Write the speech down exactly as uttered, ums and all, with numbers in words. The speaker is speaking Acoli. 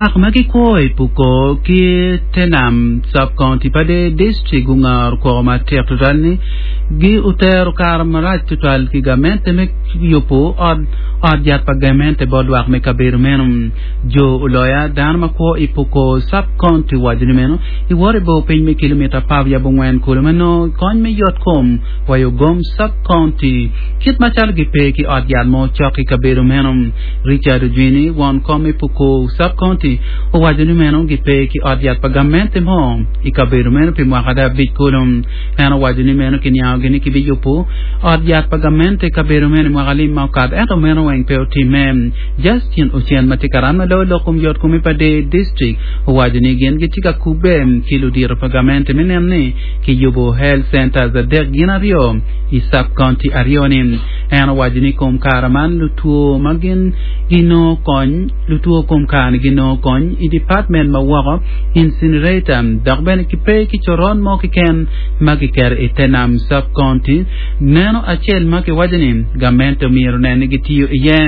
Lwak ma gikwo i Pukor ki Tenam Sub-County pa Dei District gungaro koko matek tutwal ni gi otero kare marac tutwal ki gamente me yubo ot ot yat pa gamente bot lwak me kabedo meno. Jo oloya dano ma kwo i Pukor Sub-County waco ni meno iwoto i bor piny me kilomita apar wiye abongwen kulu ma nongo kony me yot kom wa i Ogom Sub-County kit macalo gipe ki ot yat mo cok i kabedo meno. Richard Ojwini won kom i Pukor Sub-County owaco ni meno gipe ki ot yat pa gamente mo i kabedo meno pi mwaka ada abic kulu. En owaco ni meno kiniangogi ni kibiyubo ot yat pa gamente i kabedo meno i mwaka lim ma okato ento meno weng pe otimme. Justin Ocen ma tye karan ma loyo lok kom yot kom i pa Dei District owaco ni gin gitye ka kubbe ki ludito pa gamente me neno ni kiyubo health centers adek gin aryo i sub-county aryo ni. En owaco ni kom kare man lutwo ma gin ginongo kony lutwo kom kare ni ginongo kony i department ma woko incinerator dok bene kipe ki coron mo keken ma kiketo i Tenam Sub-County neno acel ma kiwaco ni gamente omyero onen ni gitiyo iye.